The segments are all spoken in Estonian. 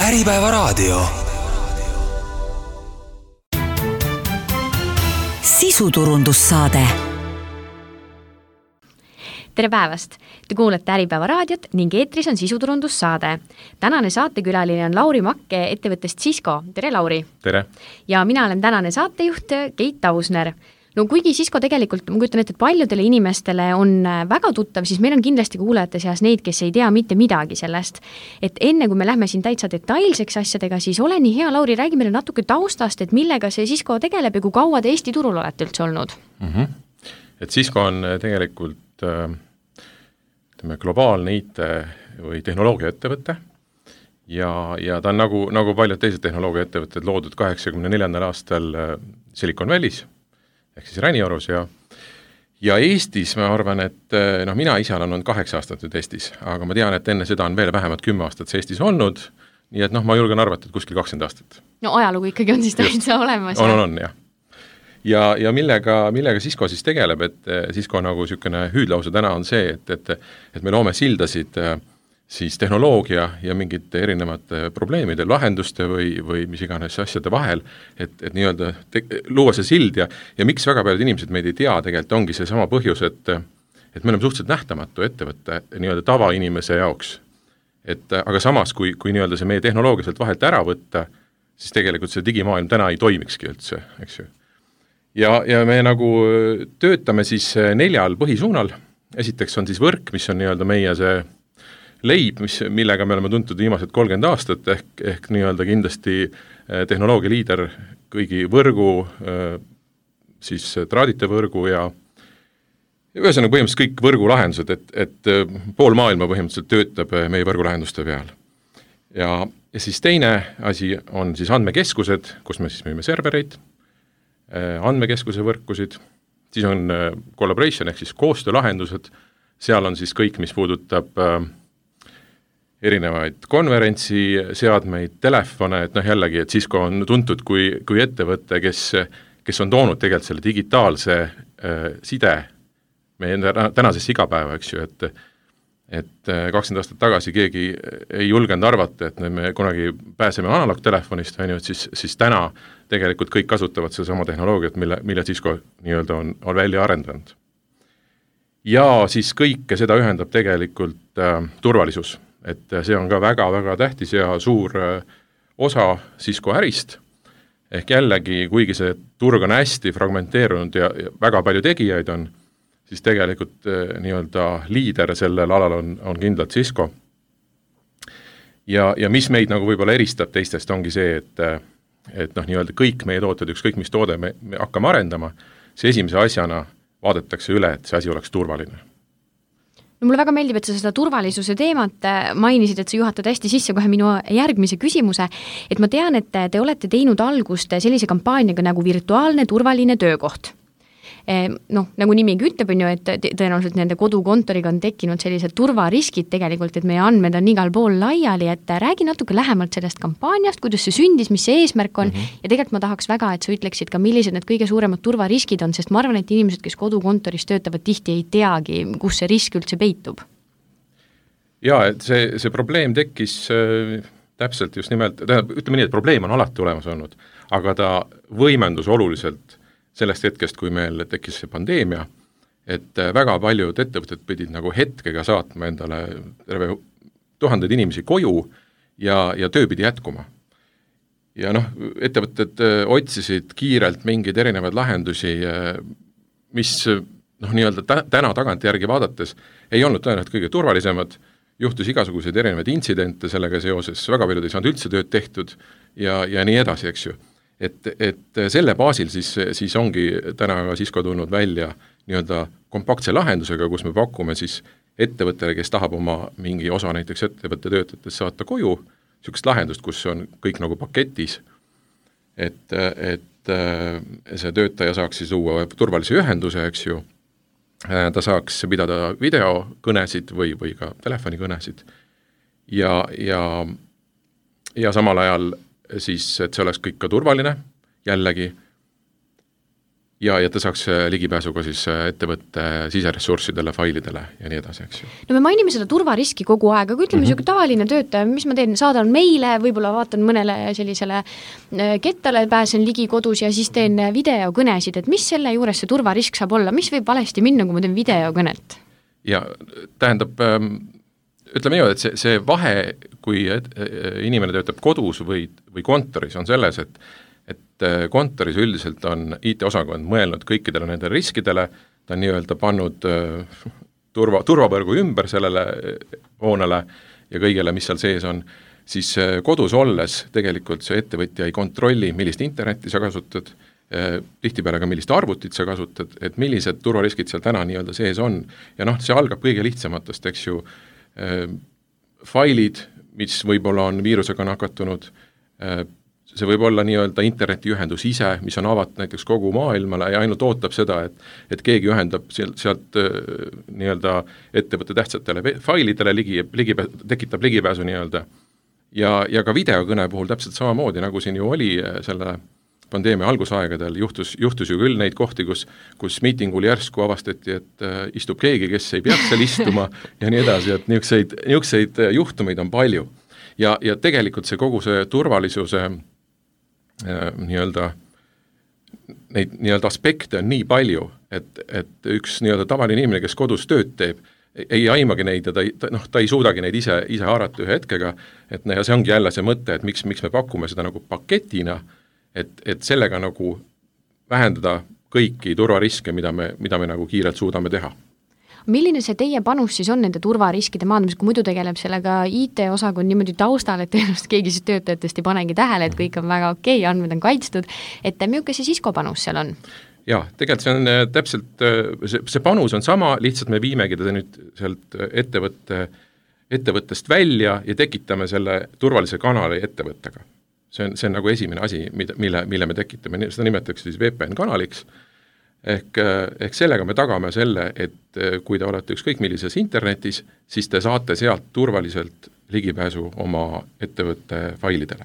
Äripäevaraadio. Sisuturundussaade. Tere päevast! Te kuulete Äripäevaraadiot ning eetris on sisuturundussaade. Tänane saatekülaline on Lauri Makke ettevõttest Cisco. Tere, Lauri! Tere! Ja mina olen tänane saatejuht Keit Tausner. No kuigi Cisco tegelikult, ma kujutan ette, et paljudele inimestele on väga tuttav, siis meil on kindlasti kuulajate seas neid, kes ei tea mitte midagi sellest. Et enne kui me lähme siin täitsa detailseks asjadega, siis ole nii hea, Lauri, räägi meile natuke taustast, et millega see Cisco tegeleb ja kui kaua te Eesti turul olete üldse olnud? Et Cisco on tegelikult globaalne IT või tehnoloogiaettevõte ja ta on nagu paljud teised tehnoloogiaettevõtted loodud 84. aastal Silicon Valley's ehk siis Räniorus ja Eestis ma arvan, et mina ise olen olnud 8 aastat nüüd Eestis, aga ma tean, et enne seda on veel vähemalt 10 aastat Eestis olnud, nii et ma julgen arvata, et kuskil 20 aastat. No ajalugu ikkagi on siis täitsa olemas. On, jah. Ja millega Cisco siis tegeleb, et Cisco nagu niisugune hüüdlause täna on see, et me loome sildasid siis tehnoloogia ja mingite erinevate probleemide, lahenduste või mis iganes asjade vahel, et nii-öelda luua see sild ja miks väga paljud inimesed meid ei tea, tegelikult ongi see sama põhjus, et me oleme suhteliselt nähtamatu ettevõtte nii-öelda tavainimese jaoks. Aga samas, kui nii-öelda see meie tehnoloogia sealt vahelt ära võtta, siis tegelikult see digimaailm täna ei toimikski üldse, eks ju. Ja me nagu töötame siis 4 põhisuunal. Esiteks on siis võrk, mis on nii-öelda meie see leib, millega me oleme tuntud viimased 30 aastat, ehk nii-öelda kindlasti tehnoloogia liider kõigi võrgu, siis traadite võrgu ja ühesõnaga põhimõtteliselt kõik võrgulahendused, et pool maailma põhimõtteliselt töötab meie võrgulahenduste peal. Ja siis teine asi on siis andmekeskused, kus me siis müüme servereid, andmekeskuse võrkusid, siis on collaboration ehk siis koostöölahendused, seal on siis kõik, mis puudutab erinevaid konverentsiseadmeid, telefone, et jällegi, et Cisco on tuntud kui ettevõte, kes on toonud tegelikult selle digitaalse side meie tänasesse igapäeva, eks ju, et 20 aastat tagasi keegi ei julgenud arvata, et me kunagi pääseme analoogtelefonist, et siis täna tegelikult kõik kasutavad seda sama tehnoloogiat, mille Cisco nii-öelda on välja arendanud. Ja siis kõike seda ühendab tegelikult turvalisus. Et see on ka väga-väga tähtis ja suur osa Cisco ärist, ehk jällegi, kuigi see turg on hästi fragmenteerunud ja väga palju tegijaid on, siis tegelikult nii-öelda liider sellel alal on kindlalt Cisco. Ja mis meid nagu võib-olla eristab teistest ongi see, et nii-öelda kõik meie tooted, ükskõik mis toode me hakkame arendama, see esimese asjana vaadatakse üle, et see asi oleks turvaline. No mulle väga meeldib, et sa seda turvalisuse teemat mainisid, et sa juhatad hästi sisse kohe minu järgmise küsimuse, et ma tean, et te olete teinud algust sellise kampaaniaga nagu virtuaalne turvaline töökoht. Nagu nimigi ütleb, et tõenäoliselt nende kodukontoriga on tekkinud sellised turvariskid tegelikult, et meie andmed on igal pool laiali, et räägi natuke lähemalt sellest kampaaniast, kuidas see sündis, mis see eesmärk on ja tegelikult ma tahaks väga, et sa ütleksid ka, millised need kõige suuremad turvariskid on, sest ma arvan, et inimesed, kes kodukontoris töötavad, tihti ei teagi, kus see risk üldse peitub. Ja, et see probleem tekkis täpselt just nimelt, ütleme nii, et probleem on alati olemas olnud, aga ta võimendus oluliselt sellest hetkest, kui meil tekkis see pandeemia, et väga paljud ettevõtted pidid nagu hetkega saatma endale terve 1000 inimesi koju ja töö pidi jätkuma. Ja ettevõtted otsisid kiirelt mingeid erinevaid lahendusi, mis nii-öelda täna tagantjärgi vaadates ei olnud tõenäoliselt kõige turvalisemad, juhtus igasuguseid erinevaid intsidente sellega seoses, väga paljud ei saanud üldse tööd tehtud ja nii edasi, eks ju. Et selle baasil siis ongi täna ka Cisco tulnud välja nii-öelda kompaktse lahendusega, kus me pakume siis ettevõttele, kes tahab oma mingi osa näiteks ettevõtte töötajatest saata koju, niisugust lahendust, kus on kõik nagu paketis, et see töötaja saaks siis luua turvalise ühenduse, eks ju, ta saaks pidada videokõnesid või ka telefonikõnesid ja samal ajal siis, et see oleks kõik ka turvaline, jällegi ja ta saaks ligipääsu ka siis ettevõtte siseressurssidele, failidele ja nii edasi, eks ju. No me mainime seda turvariski kogu aeg, aga ütleme niisugune tavaline töötaja, mis ma teen, saadan meile, võib-olla vaatan mõnele sellisele kettale, pääsen ligi kodus ja siis teen videokõnesid, et mis selle juures see turvarisk saab olla, mis võib valesti minna, kui ma teen videokõnet? Ja tähendab, ütleme nii, et see vahe, kui inimene töötab kodus või kontoris, on selles, et kontoris üldiselt on IT-osakond mõelnud kõikidele nendele riskidele, ta on nii-öelda pannud turvavõrgu ümber sellele hoonele ja kõigele, mis seal sees on, siis kodus olles tegelikult see ettevõtja ei kontrolli, millist internetti sa kasutad, tihtipeale ka millist arvutit sa kasutad, et millised turvariskid seal täna nii-öelda sees on. Ja see algab kõige lihtsamatest, eks ju, failid, mis võib-olla on viirusega nakatunud, see võib olla nii-öelda internetiühendus ise, mis on avatud näiteks kogu maailmale ja ainult ootab seda, et keegi ühendab sealt nii-öelda ettevõtte tähtsatele failidele tekitab ligipääsu nii-öelda. Ja ka videokõne puhul täpselt samamoodi, nagu siin ju oli selle pandeemia algusaegadel, juhtus ju küll neid kohti, kus miitingul järsku avastati, et istub keegi, kes ei peaks seal istuma ja nii edasi, et niisuguseid juhtumeid on palju. Ja tegelikult see kogu see turvalisuse neid nii-öelda aspekte on nii palju, et üks nii-öelda tavaline inimene, kes kodus tööd teeb, ei aimagi neid ja ta ei suudagi neid ise haarata ühe hetkega, ja see ongi jälle see mõte, et miks me pakume seda nagu paketina, et sellega nagu vähendada kõiki turvariske, mida me nagu kiirelt suudame teha. Milline see teie panus siis on nende turvariskide maandamis, kui muidu tegeleb sellega IT-osakond niimoodi taustal, et tõenäoliselt keegi siis töötajatest ei panegi tähele, et kõik on väga okei, andmed on kaitstud, et milline see Cisco panus seal on? Jaa, tegelikult see on täpselt, see panus on sama, lihtsalt me viimegi teda nüüd sealt ettevõttest välja ja tekitame selle turvalise kanali ettevõttega. See on nagu esimene asi, mille me tekitame, seda nimetatakse siis VPN-kanaliks, ehk sellega me tagame selle, et kui te olete ükskõik millises internetis, siis te saate sealt turvaliselt ligipääsu oma ettevõtte failidele.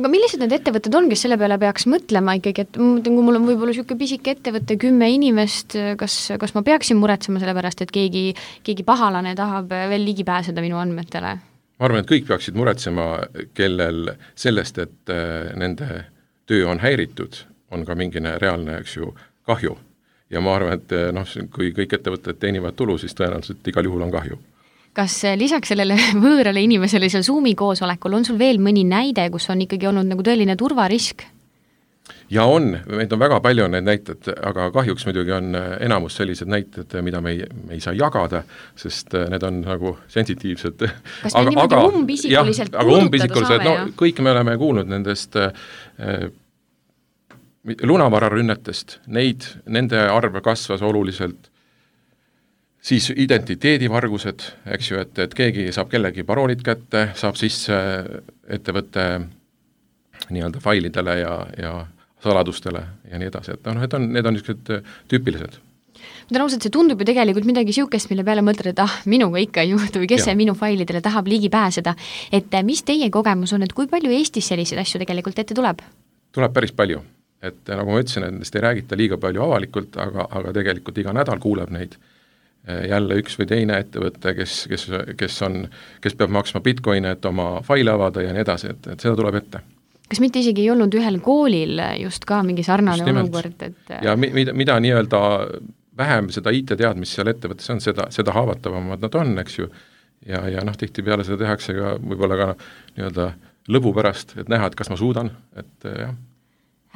Aga millised need ettevõtted on, kes selle peale peaks mõtlema ikkagi, et kui mul on võib-olla niisugune pisike ettevõtte 10 inimest, kas ma peaksin muretsema selle pärast, et keegi pahalane tahab veel ligi pääseda minu andmetele? Ma arvan, et kõik peaksid muretsema, kellel sellest, et nende töö on häiritud, on ka mingine reaalne, eks ju, kahju. Ja ma arvan, et kui kõik ettevõtted teenivad tulu, siis tõenäoliselt igal juhul on kahju. Kas lisaks sellele võõrale inimesele seal Zoomi koosolekul on sul veel mõni näide, kus on ikkagi olnud nagu tõeline turvarisk? Ja on, meid on väga palju need näited, aga kahjuks muidugi on enamus sellised näited, mida me ei saa jagada, sest need on nagu sensitiivsed. Kas me niimoodi umbisikuliselt puudutada saame? Kõik me oleme kuulnud nendest lunavararünnetest, nende arv kasvas oluliselt, siis identiteedivargused, eks ju, et keegi saab kellegi paroolid kätte, saab sisse ettevõtte nii-öelda failidele ja saladustele ja nii edasi, et need on niisugused tüüpilised. Ma tänan ausalt, see tundub ju tegelikult midagi siukest, mille peale mõtled, et minuga ikka ei juhtu või kes see minu failidele tahab ligi pääseda. Et mis teie kogemus on, et kui palju Eestis selliseid asju tegelikult ette tuleb? Tuleb päris palju. Et nagu ma ütlesin, nendest ei räägita liiga palju avalikult, aga tegelikult iga nädal kuuleb neid jälle üks või teine ettevõte, kes peab maksma bitcoine, et oma faile avada ja nii edasi, et seda tuleb ette. Kas mitte isegi ei olnud ühel koolil just ka mingi sarnane olukord? Ja mida nii-öelda vähem seda IT-teadmist seal ettevõttes on, seda haavatavamad nad on, eks ju, ja tihtipeale seda tehakse ka võib-olla ka nii-öelda lõbu pärast, et näha, et kas ma suudan, et jah.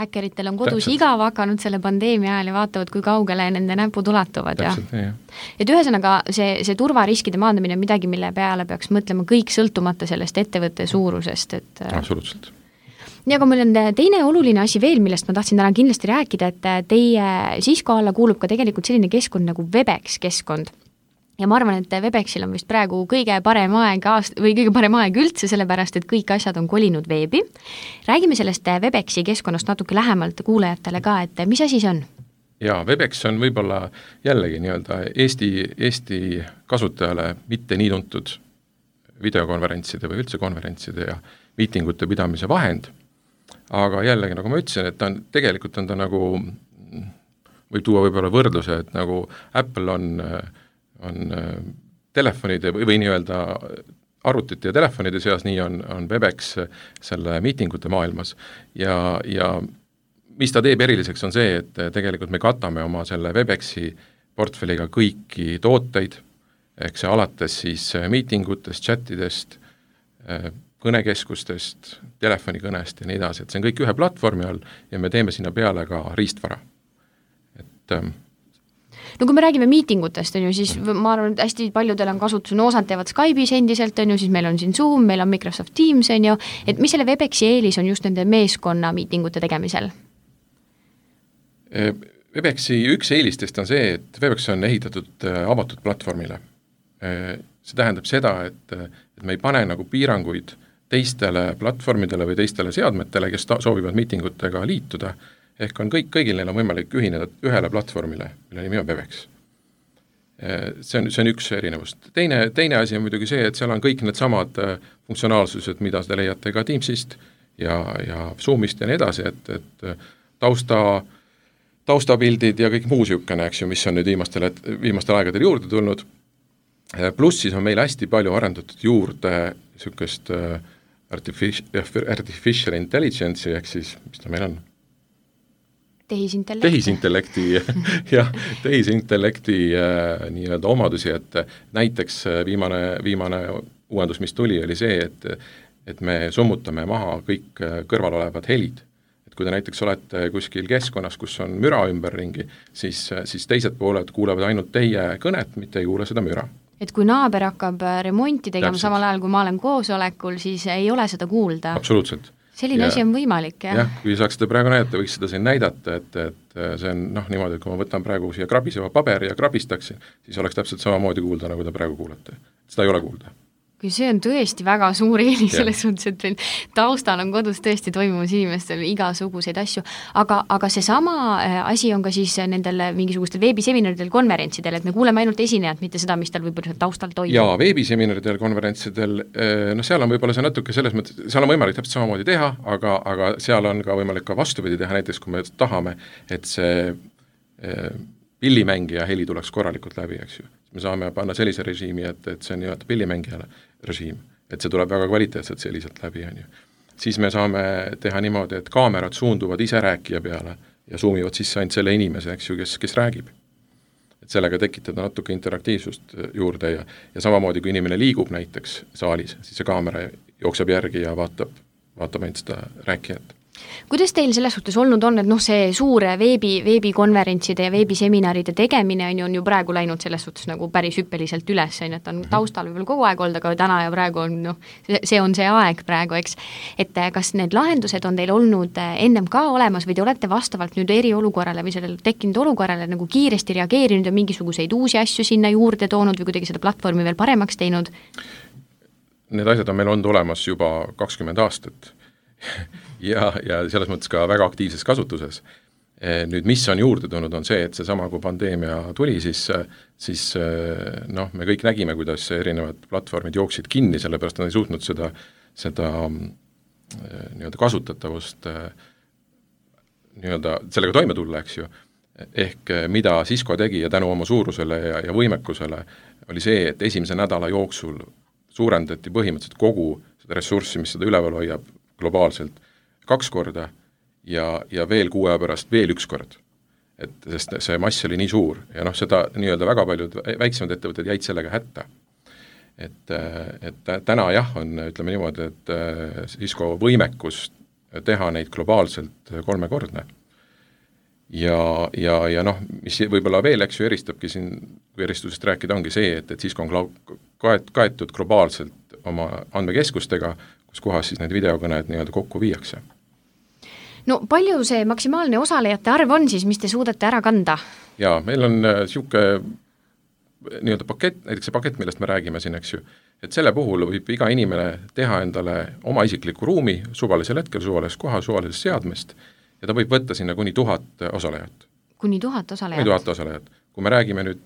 Häkkeritel on kodus igav hakanud selle pandeemia ajal ja vaatavad, kui kaugele nende näpud ulatuvad. Täpselt, jah. Et ühesõnaga see turvariskide maandamine on midagi, mille peale peaks mõtlema kõik sõltumata sellest ettevõtte suurusest. Absoluutselt. Nii, aga meil on teine oluline asi veel, millest ma tahtsin täna kindlasti rääkida, et teie Cisco alla kuulub ka tegelikult selline keskkond nagu Webex keskkond. Ja ma arvan, et Webexil on vist praegu kõige parem aeg üldse, sellepärast, et kõik asjad on kolinud veebi. Räägime sellest Webexi keskkonnast natuke lähemalt kuulajatele ka, et mis asi see on? Jaa, Webex on võib-olla jällegi nii-öelda Eesti kasutajale mitte nii tuntud videokonverentside või üldse konverentside ja miitingute pidamise vahend, aga jällegi, nagu ma ütlesin, et tegelikult on ta nagu võib tuua võib-olla võrdluse, et nagu Apple on telefonide või nii-öelda arvutite ja telefonide seas, nii on Webex selle miitingute maailmas ja mis ta teeb eriliseks, on see, et tegelikult me katame oma selle Webexi portfelliga kõiki tooteid, ehk see alates siis miitingutest, chatidest, kõnekeskustest, telefonikõnest ja nii edasi, et see on kõik ühe platvormi all ja me teeme sinna peale ka riistvara. Et no kui me räägime miitingutest, on ju, siis ma arvan, et hästi paljudel on kasutus, no osad teevad Skype'is endiselt, on ju, siis meil on siin Zoom, meil on Microsoft Teams, on ju, et mis selle Webexi eelis on just nende meeskonna miitingute tegemisel? Webexi üks eelistest on see, et Webex on ehitatud avatud platvormile. See tähendab seda, et me ei pane nagu piiranguid teistele platvormidele või teistele seadmetele, kes soovivad miitingutega liituda, ehk on kõigil neil on võimalik ühineda ühele platvormile, mille nimi on Webex. See on üks erinevust. Teine asi on muidugi see, et seal on kõik need samad funktsionaalsused, mida te leiate ka Teamsist ja Zoomist ja nii edasi, et taustapildid ja kõik muu sihukene, eks ju, mis on nüüd viimastel aegadel juurde tulnud. Pluss siis on meil hästi palju arendatud juurde sihukest artificial intelligence'i, ehk siis, mis ta meil on? Tehisintellekti nii-öelda omadusi, et näiteks viimane uuendus, mis tuli, oli see, et me summutame maha kõik kõrval olevad helid. Et kui te näiteks olete kuskil keskkonnas, kus on müra ümberringi, siis teised pooled kuulevad ainult teie kõnet, mitte ei kuule seda müra. Et kui naaber hakkab remonti tegema samal ajal, kui ma olen koosolekul, siis ei ole seda kuulda. Absoluutselt. Selline asi on võimalik, jah? Jah, kui saaks seda praegu näidata, võiks seda siin näidata, et see on niimoodi, et kui ma võtan praegu siia krabiseva paberi ja krabistaksin, siis oleks täpselt samamoodi kuulda, nagu te praegu kuulete. Seda ei ole kuulda. Kui see on tõesti väga suur eelis selles suhtes, et taustal on kodus tõesti toimumas inimestel igasuguseid asju, aga see sama asi on ka siis nendel mingisugustel veebiseminaridel, konverentsidel, et me kuuleme ainult esinejat, mitte seda, mis tal võib-olla taustal toimub. Jaa, veebiseminaridel, konverentsidel, seal on võib-olla see natuke selles mõttes, seal on võimalik täpselt samamoodi teha, aga seal on ka võimalik ka vastupidi teha, näiteks kui me tahame, et see pillimängija heli tuleks korralikult läbi, eks ju. Me saame panna sellise režiimi, et see on nii-öelda pillimängijale režiim, et see tuleb väga kvaliteetselt selliselt läbi, on ju. Siis me saame teha niimoodi, et kaamerad suunduvad ise rääkija peale ja zoomivad sisse ainult selle inimese, eks ju, kes räägib. Et sellega tekitada natuke interaktiivsust juurde ja samamoodi, kui inimene liigub näiteks saalis, siis see kaamera jookseb järgi ja vaatab ainult seda rääkijat. Kuidas teil selles suhtes olnud on, et see suur veebikonverentside ja veebiseminaride tegemine on ju praegu läinud selles suhtes nagu päris hüppeliselt üles, et on taustal võib-olla kogu aeg olnud, aga täna ja praegu on, see on see aeg praegu, eks. Et kas need lahendused on teil olnud ennem ka olemas või te olete vastavalt nüüd eriolukorrale või sellele tekkinud olukorrale nagu kiiresti reageerinud ja mingisuguseid uusi asju sinna juurde toonud või kuidagi seda platvormi veel paremaks teinud? Need asjad on meil olnud olemas juba 20 aastat. ja selles mõttes ka väga aktiivses kasutuses. Nüüd, mis on juurde tulnud, on see, et seesama, kui pandeemia tuli, siis me kõik nägime, kuidas erinevad platvormid jooksid kinni, sellepärast nad ei suutnud seda nii-öelda kasutatavust nii-öelda sellega toime tulla, eks ju. Ehk mida Cisco tegi ja tänu oma suurusele ja võimekusele oli see, et esimese nädala jooksul suurendati põhimõtteliselt kogu seda ressurssi, mis seda üleval hoiab globaalselt 2 korda ja veel 6 aja pärast veel 1 kord. Sest see mass oli nii suur ja seda nii-öelda väga paljud väiksemad ettevõtted jäid sellega hätta. Et täna jah, on, ütleme niimoodi, et Cisco võimekus teha neid globaalselt 3-kordne. Ja mis võib-olla veel, eks ju, eristabki siin, kui eristusest rääkida, ongi see, et Cisco on kaetud globaalselt oma andmekeskustega, kus kohas siis need videokõned nii-öelda kokku viiakse. No palju see maksimaalne osalejate arv on siis, mis te suudate ära kanda? Jaa, meil on sihuke nii-öelda pakett, näiteks see pakett, millest me räägime siin, eks ju, et selle puhul võib iga inimene teha endale oma isikliku ruumi suvalisel hetkel, suvalises kohas, suvalisest seadmest ja ta võib võtta sinna kuni 1000 osalejat. Kuni 1000 osalejat? Kuni 1000 osalejat. Kui me räägime nüüd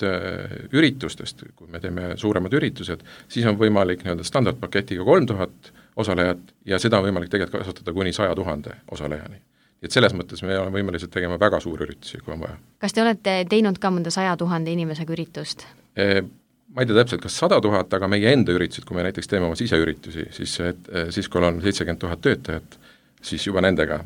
üritustest, kui me teeme suuremad üritused, siis on võimalik nii-öelda standardpaketiga 3000 osalejat ja seda on võimalik tegelikult kasutada kuni 100 000 osalejani. et selles mõttes me oleme võimelised tegema väga suuri üritusi, kui on vaja. Kas te olete teinud ka mõnda 100 000 inimesega üritust? Ma ei tea täpselt, kas 100 000, aga meie enda üritused, kui me näiteks teeme oma siseüritusi, siis kui on 70 000 töötajat, siis juba nendega.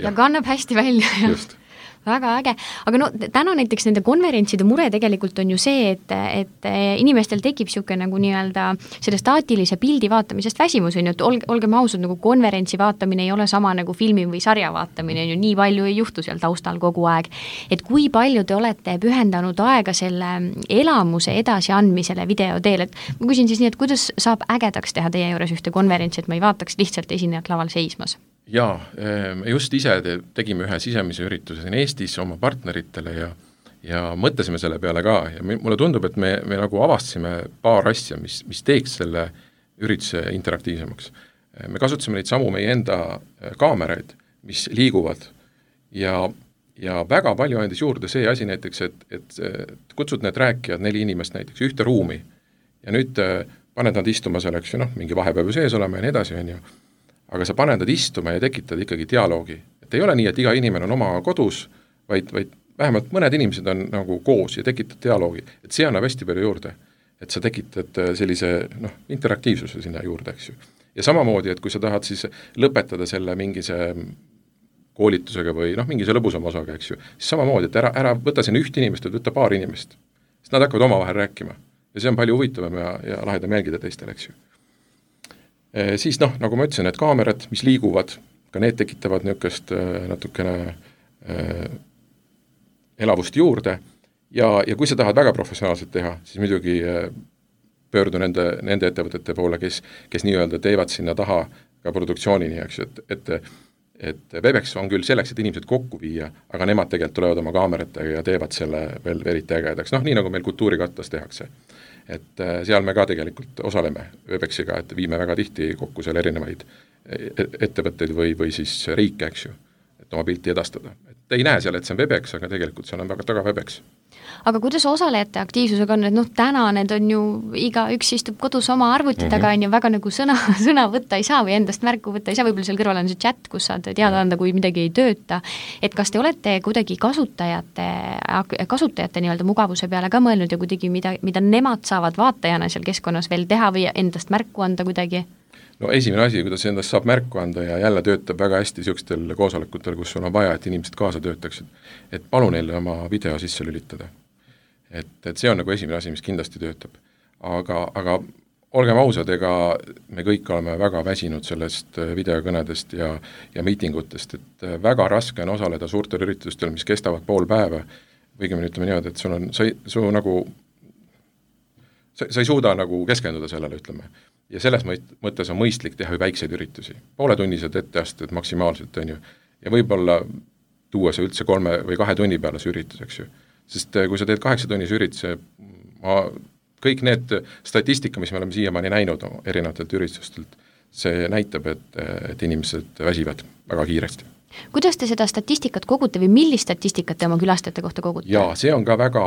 Ja kannab hästi välja. Just. Väga äge, aga no täna näiteks nende konverentside mure tegelikult on ju see, et inimestel tekib siuke nagu nii-öelda selle staatilise pildi vaatamisest väsimus, on ju, et olgem ausad, nagu konverentsi vaatamine ei ole sama nagu filmi või sarja vaatamine, on ju, nii palju ei juhtu seal taustal kogu aeg. Et kui palju te olete pühendanud aega selle elamuse edasiandmisele video teel, et ma küsin siis nii, et kuidas saab ägedaks teha teie juures ühte konverentsi, et ma ei vaataks lihtsalt esinejat laval seismas? Jaa, just ise tegime ühe sisemise ürituse siin Eestis oma partneritele ja mõtlesime selle peale ka ja mulle tundub, et me nagu avastasime paar asja, mis teeks selle ürituse interaktiivsemaks. Me kasutasime neid samu meie enda kaameraid, mis liiguvad ja väga palju andis juurde see asi näiteks, et kutsud need rääkijad 4 inimest näiteks ühte ruumi ja nüüd paned nad istuma selleks, mingi vahepäev sees olema ja nii edasi, on ju. Aga sa paned nad istuma ja tekitad ikkagi dialoogi. Et ei ole nii, et iga inimene on oma kodus, vaid vähemalt mõned inimesed on nagu koos ja tekitad dialoogi. Et see annab hästi palju juurde. Et sa tekitad sellise interaktiivsuse sinna juurde, eks ju. Ja samamoodi, et kui sa tahad siis lõpetada selle mingise koolitusega või mingise lõbusama osaga, eks ju, siis samamoodi, et ära võta siin üht inimest, võta paar inimest. Sest nad hakkavad omavahel rääkima. Ja see on palju huvitavam ja lahedam jälgida teistel, eks ju. Siis nagu ma ütlesin, need kaamerad, mis liiguvad, ka need tekitavad niisugust natukene elavust juurde ja kui sa tahad väga professionaalselt teha, siis muidugi pöördu nende ettevõtete poole, kes nii-öelda teevad sinna taha ka produktsioonini, eks ju, et Webex on küll selleks, et inimesed kokku viia, aga nemad tegelikult tulevad oma kaameratega ja teevad selle veel eriti ägedaks, nii nagu meil kultuurikatlas tehakse. Et seal me ka tegelikult osaleme Webexiga, et viime väga tihti kokku seal erinevaid ettevõtteid või siis riike, eks ju, et oma pilti edastada. Et ei näe seal, et see on Webex, aga tegelikult seal on väga taga Webex. Aga kuidas osalejate aktiivsusega on, et täna need on ju, iga üks istub kodus oma arvuti taga, on ju väga nagu sõna võtta ei saa või endast märku võtta ei saa, võib-olla seal kõrval on see chat, kus saad teada anda, kui midagi ei tööta. Et kas te olete kuidagi kasutajate nii-öelda mugavuse peale ka mõelnud ja kuidagi mida nemad saavad vaatajana seal keskkonnas veel teha või endast märku anda kuidagi? No esimene asi, kuidas endast saab märku anda ja jälle töötab väga hästi niisugustel koosolekutel, kus sul on vaja, et inimesed kaasa töötaksid, et palun neile oma video sisse lülitada. Et see on nagu esimene asi, mis kindlasti töötab. Aga olgem ausad, ega me kõik oleme väga väsinud sellest videokõnedest ja miitingutest, et väga raske on osaleda suurtel üritustel, mis kestavad pool päeva, või me ütleme niimoodi, et sa ei suuda nagu keskenduda sellele, ütleme. Ja selles mõttes on mõistlik teha väikseid üritusi. Pooletunnised etteasted maksimaalselt, on ju. Ja võib-olla tuua see üldse 3 või 2 tunni peale see üritus, eks ju. Sest kui sa teed 8-tunnise ürituse, kõik need statistika, mis me oleme siiamaani näinud erinevatelt üritustelt, see näitab, et inimesed väsivad väga kiiresti. Kuidas te seda statistikat kogute või millist statistikat te oma külastajate kohta kogute? Jaa, see on ka väga,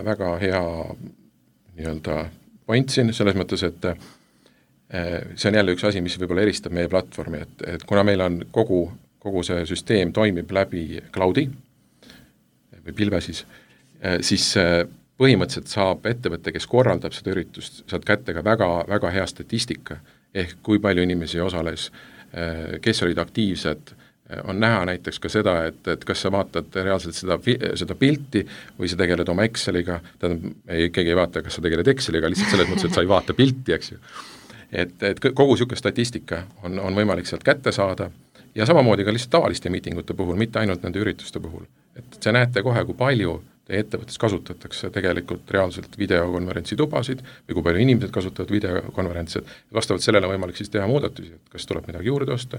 väga hea nii-öelda point siin, selles mõttes, et see on jälle üks asi, mis võib-olla eristab meie platvormi, et kuna meil on kogu see süsteem toimib läbi cloudi või pilve siis põhimõtteliselt saab ettevõte, kes korraldab seda üritust, saad kätte ka väga, väga hea statistika, ehk kui palju inimesi osales, kes olid aktiivsed, on näha näiteks ka seda, et kas sa vaatad reaalselt seda pilti või sa tegeled oma Exceliga, keegi ei vaata, kas sa tegeled Exceliga, lihtsalt selles mõttes, et sa ei vaata pilti, eks ju. Et kogu niisugune statistika on võimalik sealt kätte saada ja samamoodi ka lihtsalt tavaliste miitingute puhul, mitte ainult nende ürituste puhul. Et see näete kohe, kui palju teie ettevõttes kasutatakse tegelikult reaalselt videokonverentsi tubasid või kui palju inimesed kasutavad videokonverentsid. Vastavalt sellele on võimalik siis teha muudatusi, et kas tuleb midagi juurde osta,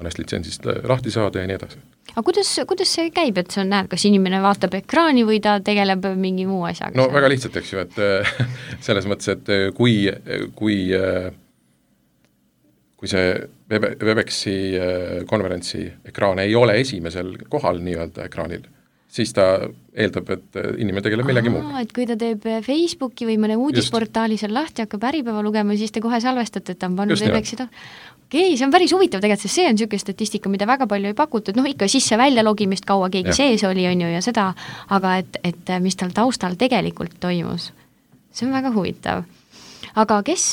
mõnest litsentsist lahti saada ja nii edasi. Aga kuidas see käib, et see on näed, kas inimene vaatab ekraani või ta tegeleb mingi muu asjaga? No väga lihtsalt, eks ju, et selles mõttes, et kui see Webexi konverentsi ekraan ei ole esimesel kohal nii-öelda ekraanil, siis ta eeldab, et inimene tegeleb millegi muu. Et kui ta teeb Facebooki või mõne uudisportaali seal lahti, hakkab Äripäeva lugema, siis te kohe salvestate, et ta on pannud Webexi Okei, see on päris huvitav tegelikult, sest see on niisugune statistika, mida väga palju ei pakutud, ikka sisse-välja logimist kaua keegi sees oli, on ju, ja seda, aga et mis tal taustal tegelikult toimus. See on väga huvitav. Aga kes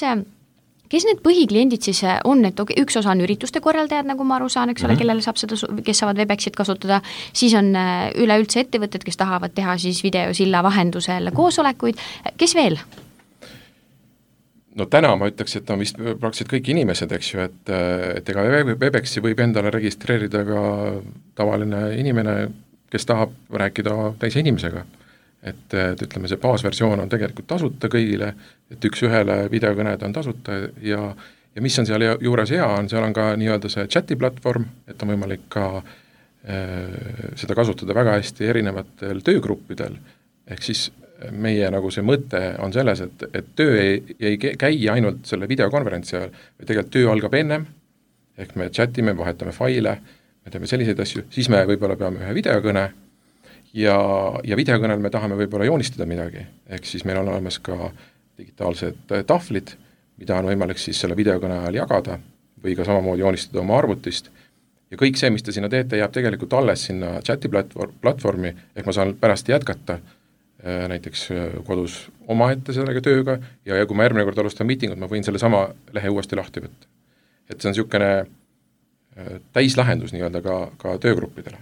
need põhikliendid siis on, et üks osa on ürituste korraldajad, nagu ma aru saan, eks ole, kellele saab seda, kes saavad Webexit kasutada, siis on üleüldse ettevõtted, kes tahavad teha siis videosilla vahendusel koosolekuid, kes veel? No täna ma ütleks, et on vist praktiliselt kõik inimesed, eks ju, et ega Webexi võib endale registreerida ka tavaline inimene, kes tahab rääkida teise inimesega. Et ütleme, see baasversioon on tegelikult tasuta kõigile, et üks-ühele videokõned on tasuta ja mis on seal juures hea, seal on ka nii-öelda see chati platvorm, et on võimalik ka seda kasutada väga hästi erinevatel töögruppidel, ehk siis meie nagu see mõte on selles, et töö ei käi ainult selle videokonverentsi ajal, või tegelikult töö algab ennem, ehk me chatime, vahetame faile, me teeme selliseid asju, siis me võib-olla peame ühe videokõne, ja videokõnel me tahame võib-olla joonistada midagi, ehk siis meil on olemas ka digitaalsed tahvlid, mida on võimalik siis selle videokõne ajal jagada või ka samamoodi joonistada oma arvutist ja kõik see, mis te sinna teete, jääb tegelikult alles sinna chati platvormi, ehk ma saan pärast jätkata näiteks kodus omaette sellega tööga ja kui ma järgmine kord alustan miitingut, ma võin selle sama lehe uuesti lahti võtta. Et see on niisugune täislahendus nii-öelda ka töögruppidele.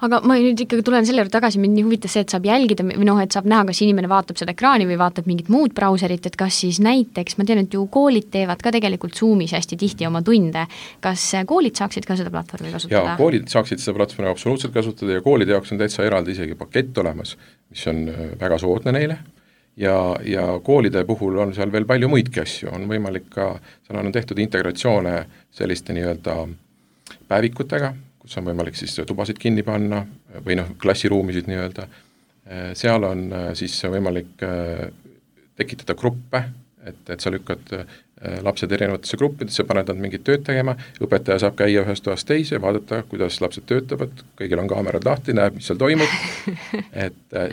Aga ma nüüd ikkagi tulen selle juurde tagasi, mind nii huvitas see, et saab jälgida või et saab näha, kas inimene vaatab seda ekraani või vaatab mingit muud brauserit, et kas siis näiteks, ma tean, et ju koolid teevad ka tegelikult Zoomis hästi tihti oma tunde. Kas koolid saaksid ka seda platvormi kasutada? Ja, koolid saaksid seda platvormi absoluutselt kasutada ja koolide jaoks on täitsa eraldi isegi pakett olemas, mis on väga soodne neile ja koolide puhul on seal veel palju muidki asju, on võimalik ka, seal on tehtud integratsioone selliste nii-öelda päevikutega, kus on võimalik siis tubasid kinni panna või klassiruumisid nii-öelda. Seal on siis võimalik tekitada gruppe, et sa lükkad lapsed erinevatesse gruppidesse, paned nad mingit tööd tegema, õpetaja saab käia ühest toast teise, vaadata, kuidas lapsed töötavad, kõigil on kaamerad lahti, näeb, mis seal toimub.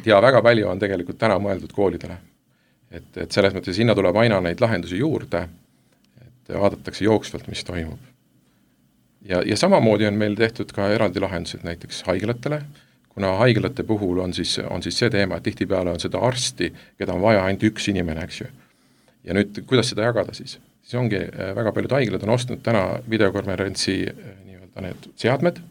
Ja väga palju on tegelikult täna mõeldud koolidele. Et selles mõttes sinna tuleb aina neid lahendusi juurde, et vaadatakse jooksvalt, mis toimub. Ja samamoodi on meil tehtud ka eraldi lahendused näiteks haiglatele, kuna haiglate puhul on siis see teema, et tihtipeale on seda arsti, keda on vaja ainult üks inimene, eks ju. Ja nüüd, kuidas seda jagada siis? Siis ongi väga paljud haiglad on ostnud täna videokonverentsi nii-öelda need seadmed,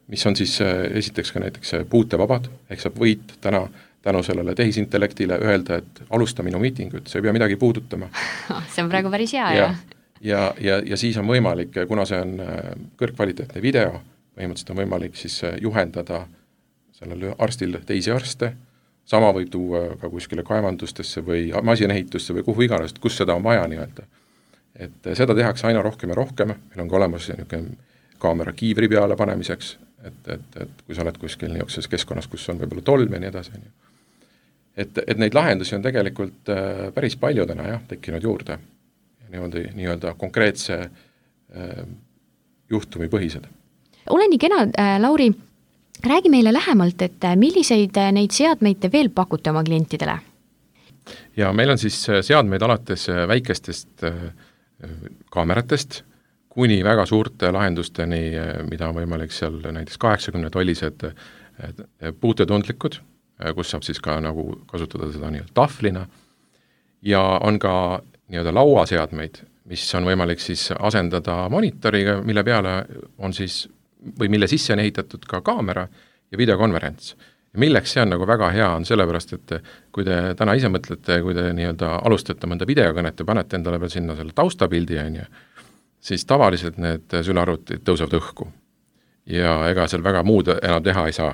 mis on siis esiteks ka näiteks puutevabad, ehk saab võit tänu sellele tehisintellektile öelda, et alusta minu miitingut, see ei pea midagi puudutama. See on praegu päris hea, jah. Ja siis on võimalik, kuna see on kõrgkvaliteetne video, põhimõtteliselt on võimalik siis juhendada sellel arstil teisi arste, sama võib tuua ka kuskile kaevandustesse või masinehitusse või kuhu iganes, kus seda on vaja nii-öelda. Et seda tehakse aina rohkem ja rohkem, meil on ka olemas kaamera kiivri peale panemiseks, et kui sa oled kuskil niisuguses keskkonnas, kus on võib-olla tolm ja nii edasi. Et neid lahendusi on tegelikult päris palju täna tekkinud juurde. Nii-öelda konkreetse juhtumi põhised. Ole nii kena, Lauri, räägi meile lähemalt, et milliseid neid seadmeid te veel pakute oma klientidele? Ja meil on siis seadmeid alates väikestest kaameratest kuni väga suurte lahendusteni, mida on võimalik seal näiteks 80-tollised puutetundlikud, kus saab siis ka nagu kasutada seda nii-öelda tahvlina ja on ka nii-öelda lauaseadmeid, mis on võimalik siis asendada monitoriga, mille peale on siis, või mille sisse on ehitatud ka kaamera ja videokonverents. Ja milleks see on nagu väga hea, on sellepärast, et kui te täna ise mõtlete, kui te nii-öelda alustate mõnda videokõnet ja panete endale veel sinna selle taustapildi, siis tavaliselt need sülearvutid tõusevad õhku. Ja ega seal väga muud enam teha ei saa.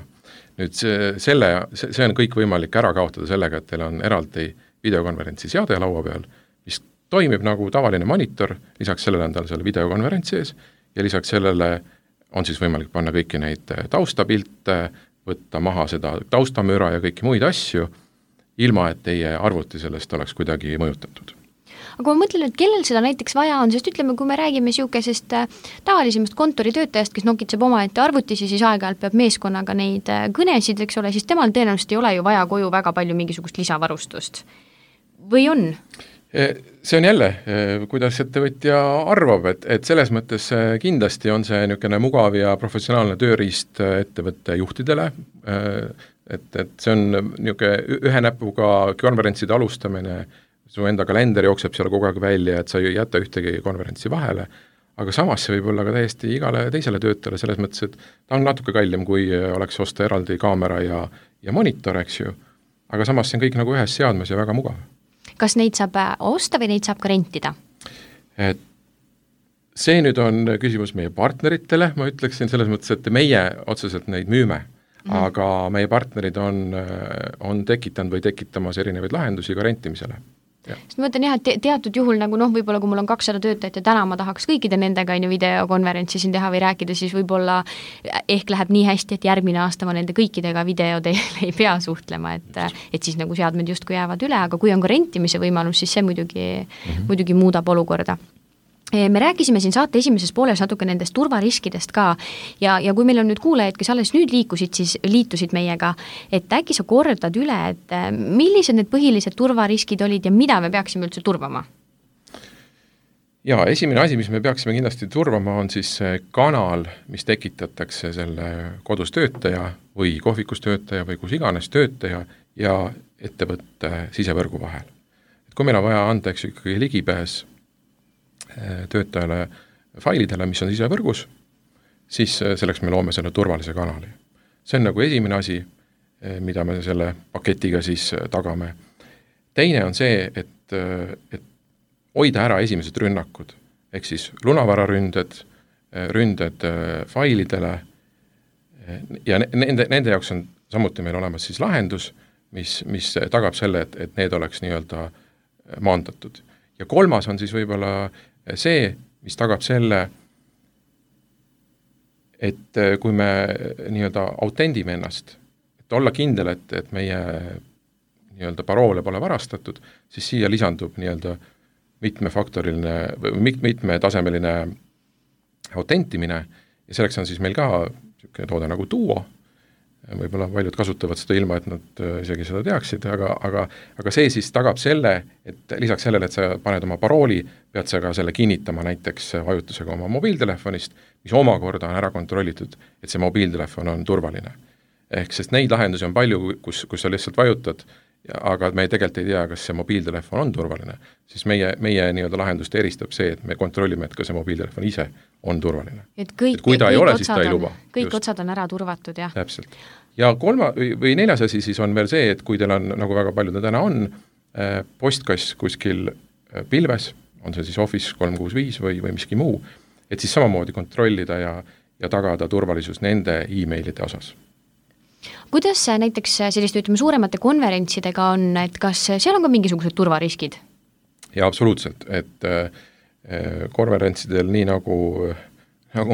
Nüüd see on kõik võimalik ära kaotada sellega, et teil on eraldi videokonverentsi seade laua peal, mis toimib nagu tavaline monitor, lisaks sellele on tal selle videokonverentsi ees ja lisaks sellele on siis võimalik panna kõiki neid taustapilte, võtta maha seda taustamüra ja kõiki muid asju, ilma et teie arvuti sellest oleks kuidagi mõjutatud. Aga ma mõtlen, et kellel seda näiteks vaja on, sest ütleme, kui me räägime siukesest tavalisemast kontoritöötajast, kes nokitseb omaette arvutisi, siis aeg-ajalt peab meeskonnaga neid kõnesid, eks ole, siis temal tõenäoliselt ei ole ju vaja koju väga palju mingisugust lisavarustust. Või on? See on jälle, kuidas ettevõtja arvab, et selles mõttes kindlasti on see niisugune mugav ja professionaalne tööriist ettevõtte juhtidele, et see on niisugune ühe näpuga konverentside alustamine, su enda kalender jookseb seal kogu aeg välja, et sa ei jäta ühtegi konverentsi vahele, aga samas see võib olla ka täiesti igale teisele töötajale selles mõttes, et ta on natuke kallim, kui oleks osta eraldi kaamera ja monitor, eks ju, aga samas see on kõik nagu ühes seadmes ja väga mugav. Kas neid saab osta või neid saab ka rentida? See nüüd on küsimus meie partneritele, ma ütleksin selles mõttes, et meie otseselt neid müüme, aga meie partnerid on tekitanud või tekitamas erinevaid lahendusi ka rentimisele. Sest ma mõtlen jah, et teatud juhul nagu võib-olla kui mul on 200 töötajat ja täna ma tahaks kõikide nendega videokonverentsi siin teha või rääkida, siis võib-olla ehk läheb nii hästi, et järgmine aasta ma nende kõikidega videoteel ei pea suhtlema, et siis nagu seadmed justkui jäävad üle, aga kui on ka rentimise võimalus, siis see muidugi muudab olukorda. Me rääkisime siin saate esimeses pooles natuke nendest turvariskidest ka ja kui meil on nüüd kuulajad, kes alles nüüd liitusid meiega, et äkki sa kordad üle, et millised need põhilised turvariskid olid ja mida me peaksime üldse turvama? Ja esimene asi, mis me peaksime kindlasti turvama, on siis see kanal, mis tekitatakse selle kodus töötaja või kohvikus töötaja või kus iganes töötaja ja ettevõtte sisevõrgu vahel. Et kui meil on vaja anda ikkagi ligipääs töötajale failidele, mis on sisevõrgus, siis selleks me loome selle turvalise kanali. See on nagu esimene asi, mida me selle paketiga siis tagame. Teine on see, et hoida ära esimesed rünnakud, ehk siis lunavararünded, ründed failidele ja nende jaoks on samuti meil olemas siis lahendus, mis tagab selle, et need oleks nii-öelda maandatud. Ja kolmas on siis võib-olla see, mis tagab selle, et kui me nii-öelda autendime ennast, et olla kindel, et meie nii-öelda paroole pole varastatud, siis siia lisandub nii-öelda mitmefaktoriline või mitmetasemeline autentimine ja selleks on siis meil ka niisugune toode nagu Duo, võib-olla paljud kasutavad seda ilma, et nad isegi seda teaksid, aga see siis tagab selle, et lisaks sellele, et sa paned oma parooli, pead sa ka selle kinnitama näiteks vajutusega oma mobiiltelefonist, mis omakorda on ära kontrollitud, et see mobiiltelefon on turvaline. Ehk sest neid lahendusi on palju, kus sa lihtsalt vajutad, aga me tegelikult ei tea, kas see mobiiltelefon on turvaline, siis meie nii-öelda lahendust eristab see, et me kontrollime, et ka see mobiiltelefon ise on turvaline. Et kui ta ei ole, siis ta ei luba. Kõik otsad on ära turvatud, jah. Täpselt. Ja või neljas asi siis on veel see, et kui teil on, nagu väga palju täna on, postkass kuskil pilves, on see siis Office 365 või miski muu, et siis samamoodi kontrollida ja tagada turvalisus nende e-mailide osas. Kuidas näiteks selliste, ütleme, suuremate konverentsidega on, et kas seal on ka mingisugused turvariskid? Ja absoluutselt, et konverentsidel nii nagu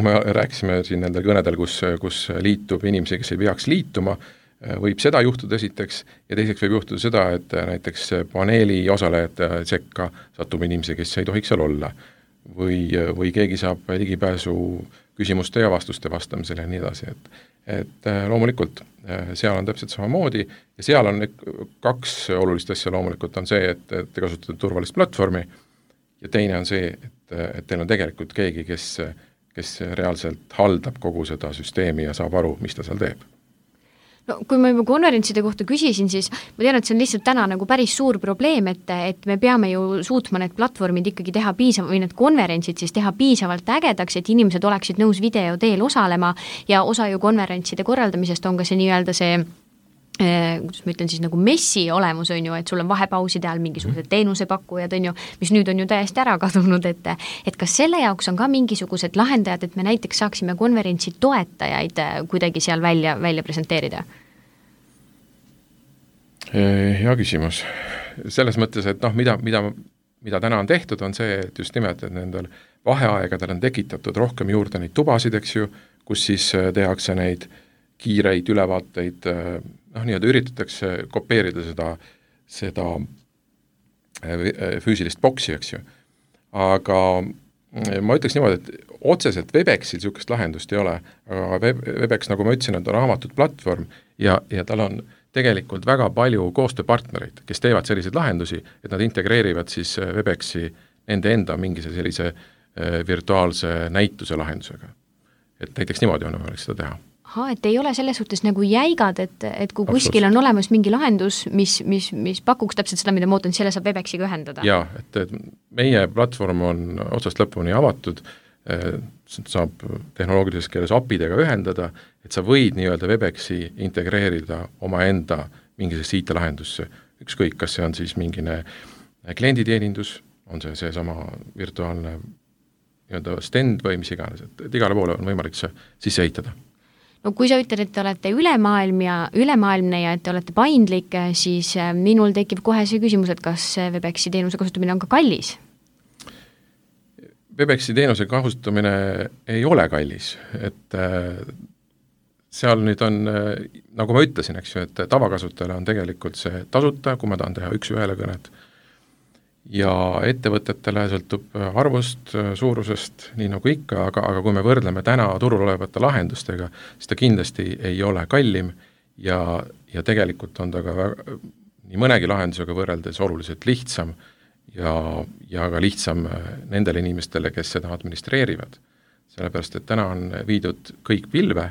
me rääkisime siin nendel kõnedel, kus liitub inimesi, kes ei peaks liituma, võib seda juhtuda esiteks ja teiseks võib juhtuda seda, et näiteks paneeli osalejate sekka satub inimesi, kes ei tohiks seal olla või keegi saab ligipääsu küsimuste ja vastuste vastamisele ja nii edasi, et loomulikult seal on täpselt samamoodi ja seal on kaks olulist asja loomulikult on see, et te kasutate turvalist platvormi ja teine on see, et teil on tegelikult keegi, kes reaalselt haldab kogu seda süsteemi ja saab aru, mis ta seal teeb. No, kui ma juba konverentside kohta küsisin, siis ma tean, et see on lihtsalt täna nagu päris suur probleem, et me peame ju suutma need platvormid ikkagi teha või need konverentsid siis teha piisavalt ägedaks, et inimesed oleksid nõus video teel osalema ja osa ju konverentside korraldamisest on ka see nii-öelda see kuidas ma ütlen siis nagu messi olemus on ju, et sul on vahepauside all mingisugused teenusepakkujad on ju, mis nüüd on ju täiesti ära kadunud, et kas selle jaoks on ka mingisugused lahendajad, et me näiteks saaksime konverentsi toetajaid kuidagi seal välja presenteerida? Hea küsimus. Selles mõttes, et mida täna on tehtud, on see, et just nimelt, et nendel vaheaegadel on tekitatud rohkem juurde neid tubasid, eks ju, kus siis tehakse neid kiireid ülevaateid, nii-öelda üritatakse kopeerida seda füüsilist boksi, eks ju. Aga ma ütleks niimoodi, et otseselt Webexil niisugust lahendust ei ole, aga Webex, nagu ma ütlesin, on avatud platvorm ja tal on tegelikult väga palju koostööpartnereid, kes teevad selliseid lahendusi, et nad integreerivad siis Webexi nende enda mingi sellise virtuaalse näituse lahendusega. Et näiteks niimoodi on võimalik seda teha. Et ei ole selles suhtes nagu jäigad, et kui kuskil on olemas mingi lahendus, mis pakuks täpselt seda, mida ma ootan, selle saab Webexiga ühendada. Jaa, et meie platvorm on otsast lõpuni avatud, saab tehnoloogilises keeles API-dega ühendada, et sa võid nii-öelda Webexi integreerida omaenda mingisesse IT-lahendusse. Ükskõik, kas see on siis mingine klienditeenindus, on see sama virtuaalne nii-öelda stand või mis iganes, et igale poole on võimalik see sisse ehitada. No kui sa ütled, et te olete ülemaailmne ja et te olete paindlik, siis minul tekib kohe see küsimus, et kas Webexi teenuse kasutamine on ka kallis? Webexi teenuse kasutamine ei ole kallis, et seal nüüd on, nagu ma ütlesin, eks ju, et tavakasutajale on tegelikult see tasuta, kui ma tahan teha üks-ühele kõnet. Ja ettevõtetele sõltub arvust, suurusest, nii nagu ikka, aga kui me võrdleme täna turul olevate lahendustega, siis ta kindlasti ei ole kallim ja tegelikult on ta ka nii mõnegi lahendusega võrreldes oluliselt lihtsam ja ka lihtsam nendele inimestele, kes seda administreerivad. Sellepärast, et täna on viidud kõik pilve,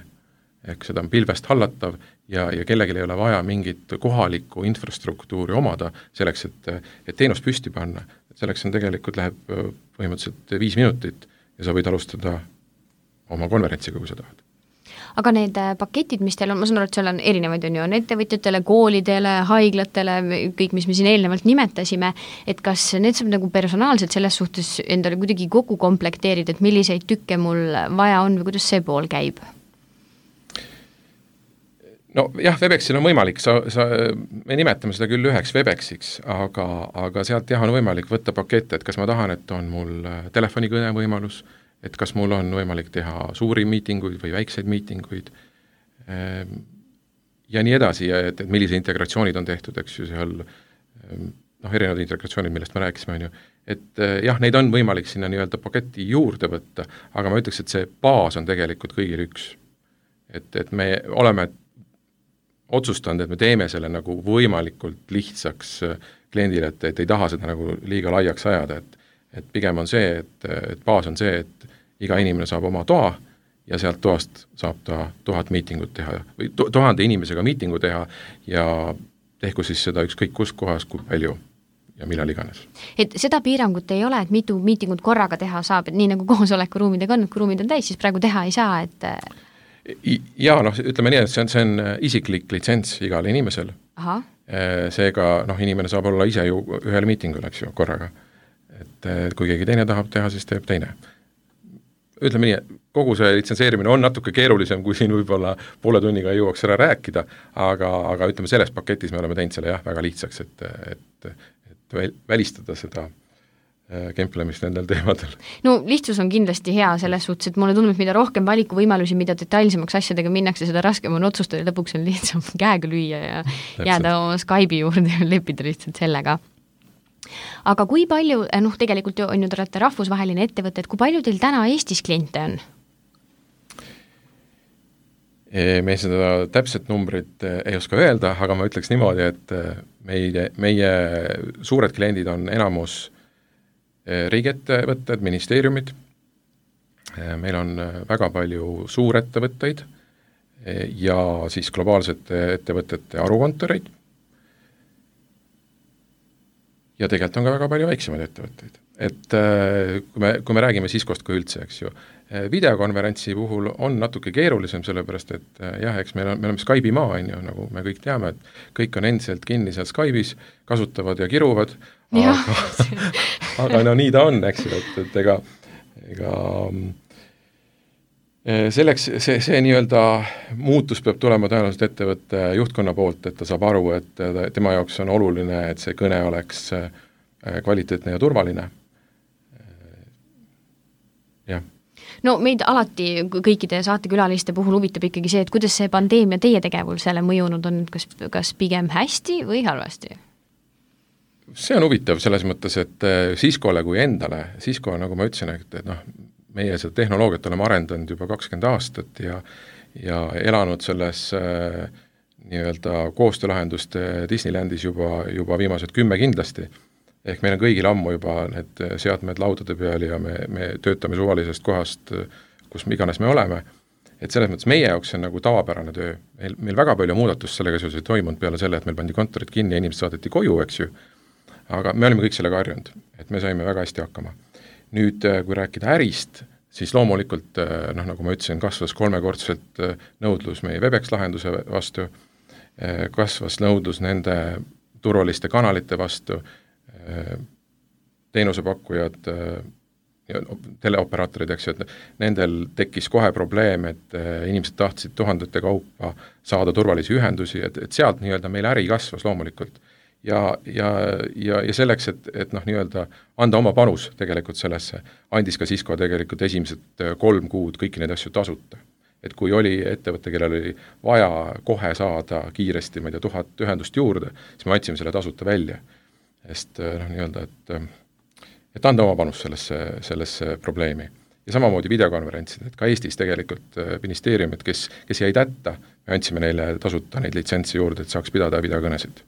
ehk seda on pilvest hallatav ja kellelgi ei ole vaja mingit kohalikku infrastruktuuri omada selleks, et teenust püsti panna. Selleks on tegelikult läheb põhimõtteliselt 5 minutit ja sa võid alustada oma konverentsiga, kui sa tahad. Aga need paketid, mis teil on, ma saan aru, et seal on erinevaid, on ettevõtjatele, koolidele, haiglatele, kõik, mis me siin eelnevalt nimetasime, et kas need saab nagu personaalselt selles suhtes endale kuidagi kokku komplekteerida, et milliseid tükke mul vaja on või kuidas see pool käib? No jah, Webexil on võimalik, me nimetame seda küll üheks Webexiks, aga sealt jah on võimalik võtta pakette, et kas ma tahan, et on mul telefonikõne võimalus, et kas mul on võimalik teha suuri miitinguid või väikseid miitinguid ja nii edasi, et millise integratsioonid on tehtud, eks ju seal erinevad integratsioonid, millest me rääkisime, on ju. Et jah, neid on võimalik sinna nii-öelda paketti juurde võtta, aga ma ütleks, et see baas on tegelikult kõigil üks. Et me oleme otsustanud, et me teeme selle nagu võimalikult lihtsaks kliendile, et ei taha seda nagu liiga laiaks ajada, et pigem on see, et baas on see, et iga inimene saab oma toa ja sealt toast saab ta 1000 miitingut teha või 1000 inimesega miitingu teha ja tehku siis seda ükskõik kus kohas, kui palju ja millal iganes. Et seda piirangut ei ole, et mitu miitingut korraga teha saab, et nii nagu koosolekuruumidega on, et kui ruumid on täis, siis praegu teha ei saa, et Jaa, ütleme nii, et see on isiklik litsents igal inimesel. Aha. Seega inimene saab olla ise ju ühel miitingul, eks ju, korraga. Et kui keegi teine tahab teha, siis teeb teine. Ütleme nii, kogu see litsenseerimine on natuke keerulisem, kui siin võib-olla poole tunniga ei jõuaks ära rääkida, aga ütleme, selles paketis me oleme teinud selle väga lihtsaks, et välistada seda kemplemist nendel teemadel. No lihtsus on kindlasti hea selles suhtes, et mulle tundub, mida rohkem valikuvõimalusi, mida detailsemaks asjadega minnakse, seda raskem on otsustada, lõpuks on lihtsam käega lüüa ja jääda oma Skype'i juurde ja leppida lihtsalt sellega. Aga kui palju, tegelikult on ju te olete rahvusvaheline ettevõte, et kui palju teil täna Eestis kliente on? Me seda täpset numbrit ei oska öelda, aga ma ütleks niimoodi, et meie suured kliendid on enamus riigiettevõtted, ministeeriumid, meil on väga palju suurettevõtteid ja siis globaalsete ettevõtete arukontoreid ja tegelikult on ka väga palju väiksemaid ettevõtteid. Et kui me räägime Ciscost kui üldse, eks ju, videokonverentsi puhul on natuke keerulisem, sellepärast et jah, eks me oleme Skype'i maa, nagu me kõik teame, et kõik on endiselt kinni seal Skype'is, kasutavad ja kiruvad, aga nii ta on, eks ju, et ega selleks see nii-öelda muutus peab tulema tõenäoliselt ettevõtte juhtkonna poolt, et ta saab aru, et tema jaoks on oluline, et see kõne oleks kvaliteetne ja turvaline. Jah. No meid alati kõikide saatekülaliste puhul huvitab ikkagi see, et kuidas see pandeemia teie tegevusele mõjunud on, kas pigem hästi või halvasti? see on huvitav selles mõttes, et Ciscole kui endale, Cisco, nagu ma ütlesin, et noh, meie seda tehnoloogiat oleme arendanud juba 20 aastat ja elanud selles nii-öelda koostöölahenduste Disneylandis juba viimased 10 kindlasti. Ehk meil on kõigil ammu juba need seadmed laudade peal ja me töötame suvalisest kohast, kus iganes me oleme. Et selles mõttes meie jaoks on nagu tavapärane töö. Meil väga palju muudatust sellega seoses ei toimunud peale selle, et meil pandi kontorid kinni ja inimesed saadeti koju, eks ju. Aga me olime kõik sellega harjunud, et me saime väga hästi hakkama. Nüüd, kui rääkida ärist, siis loomulikult, nagu ma ütlesin, kasvas 3-kordselt nõudlus meie Webex lahenduse vastu, kasvas nõudlus nende turvaliste kanalite vastu, teenusepakkujad, teleoperaatorid, eks ju, et nendel tekkis kohe probleem, et inimesed tahtsid tuhandete kaupa saada turvalisi ühendusi, et sealt nii-öelda meil äri kasvas loomulikult. Ja selleks, et nii-öelda anda oma panus tegelikult sellesse, andis ka Cisco tegelikult esimesed 3 kuud kõiki neid asju tasuta. Et kui oli ettevõte, kellel oli vaja kohe saada kiiresti, ma ei tea, 1000 ühendust juurde, siis me andsime selle tasuta välja. Sest nii-öelda, et anda oma panus sellesse probleemi. Ja samamoodi videokonverentsid, et ka Eestis tegelikult ministeeriumid, kes jäid hätta, me andsime neile tasuta neid litsentsi juurde, et saaks pidada videokõnesid.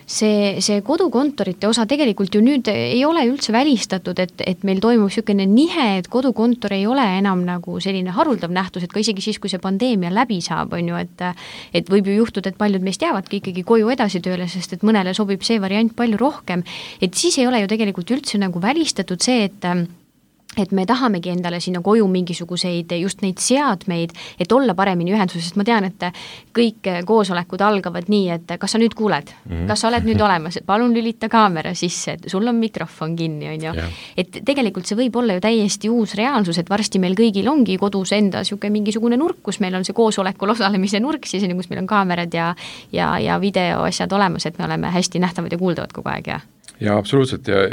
See kodukontorite osa tegelikult ju nüüd ei ole üldse välistatud, et meil toimub niisugune nihe, et kodukontor ei ole enam nagu selline haruldav nähtus, et ka isegi siis, kui see pandeemia läbi saab, on ju, et võib ju juhtuda, et paljud meist jäävadki ikkagi koju edasi tööle, sest et mõnele sobib see variant palju rohkem, et siis ei ole ju tegelikult üldse nagu välistatud see, et me tahamegi endale sinna koju mingisuguseid just neid seadmeid, et olla paremini ühenduses, sest ma tean, et kõik koosolekud algavad nii, et kas sa nüüd kuuled, kas sa oled nüüd olemas, palun lülita kaamera sisse, et sul on mikrofon kinni, on ju. Et tegelikult see võib olla ju täiesti uus reaalsus, et varsti meil kõigil ongi kodus enda mingisugune nurk, kus meil on see koosolekul osalemise nurk, siis kus meil on kaamerad ja videoasjad olemas, et me oleme hästi nähtavad ja kuuldavad kogu aeg, Ja absoluutselt ja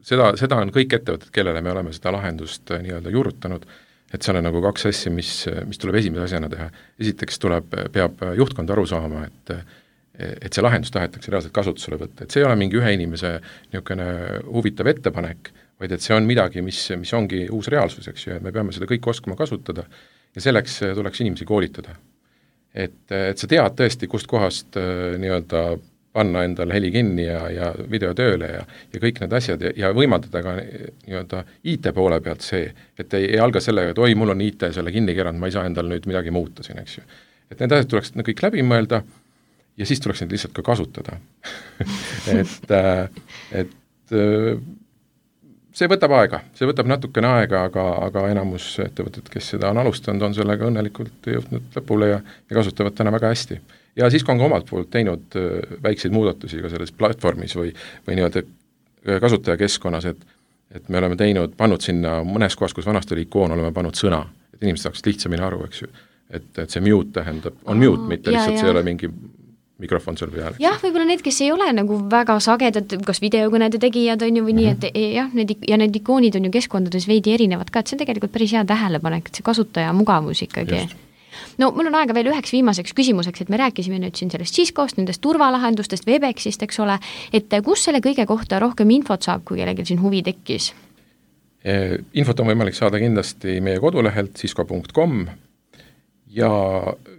seda on kõik ettevõtted, kellele me oleme seda lahendust nii-öelda juurutanud, et seal on nagu 2 asja, mis tuleb esimese asjana teha. Esiteks peab juhtkond aru saama, et see lahendus tahetakse reaalselt kasutusele võtta, et see ei ole mingi ühe inimese niisugune huvitav ettepanek, vaid et see on midagi, mis ongi uus reaalsus, eks ju, ja me peame seda kõik oskama kasutada ja selleks tuleks inimesi koolitada. Et sa tead tõesti, kust kohast nii-öelda panna endal heli kinni ja video tööle ja kõik need asjad ja võimaldada ka nii-öelda IT poole pealt see, et ei alga sellega, et oi, mul on IT selle kinni keranud, ma ei saa endal nüüd midagi muuta siin, eks ju. Et need asjad tuleks kõik läbi mõelda ja siis tuleks neid lihtsalt ka kasutada. et see võtab aega, see võtab natukene aega, aga enamus ettevõtted, kes seda on alustanud, on sellega õnnelikult jõudnud lõpule ja kasutavad täna väga hästi. Ja siis on ka omalt poolt teinud väikseid muudatusi ka selles platvormis või nii-öelda kasutajakeskkonnas, et me oleme pannud sinna mõnes kohas, kus vanasti oli ikoon, oleme pannud sõna, et inimesed saaks lihtsamini aru, eks ju. Et see mute tähendab, on mute, mitte lihtsalt see ei ole mingi mikrofon sul peal. Jah, võib-olla need, kes ei ole nagu väga sagedad, kas videokõnede tegijad on ju või nii, et jah, need ikoonid on ju keskkondades veidi erinevad ka, et see on tegelikult päris hea tähelepanek, et see kasutaja mugavus ikkagi. Just. No mul on aega veel üheks viimaseks küsimuseks, et me rääkisime nüüd siin sellest Ciscost, nendest turvalahendustest, Webexist, eks ole, et kus selle kõige kohta rohkem infot saab, kui kellelgi siin huvi tekkis? Infot on võimalik saada kindlasti meie kodulehelt cisco.com ja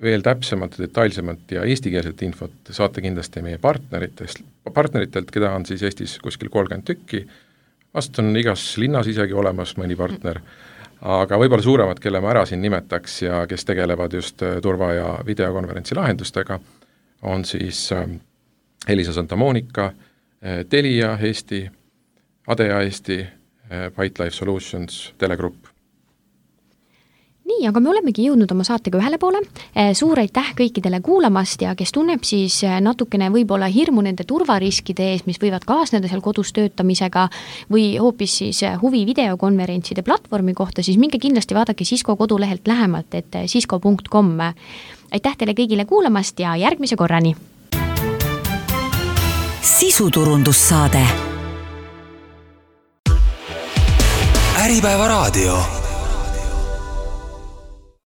veel täpsemalt, detailsemalt ja eestikeelset infot saate kindlasti meie partneritelt, keda on siis Eestis kuskil 30 tükki, vast on igas linnas isegi olemas mõni partner, aga võib-olla suuremad, kelle ma ära siin nimetaks ja kes tegelevad just turva- ja videokonverentsi lahendustega, on siis Elisa Santa Monica, Telia Eesti, Adea Eesti, Byte Life Solutions, Telegrupp. Nii, aga me olemegi jõudnud oma saatega ühele poole. Suur aitäh kõikidele kuulamast ja kes tunneb siis natukene võib-olla hirmu nende turvariskide ees, mis võivad kaasneda seal kodus töötamisega või hoopis siis huvi videokonverentside platvormi kohta, siis minge kindlasti vaadake Cisco kodulehelt lähemalt, et cisco.com. Aitäh teile kõigile kuulamast ja järgmise korrani! Sisuturundussaade Äripäeva raadio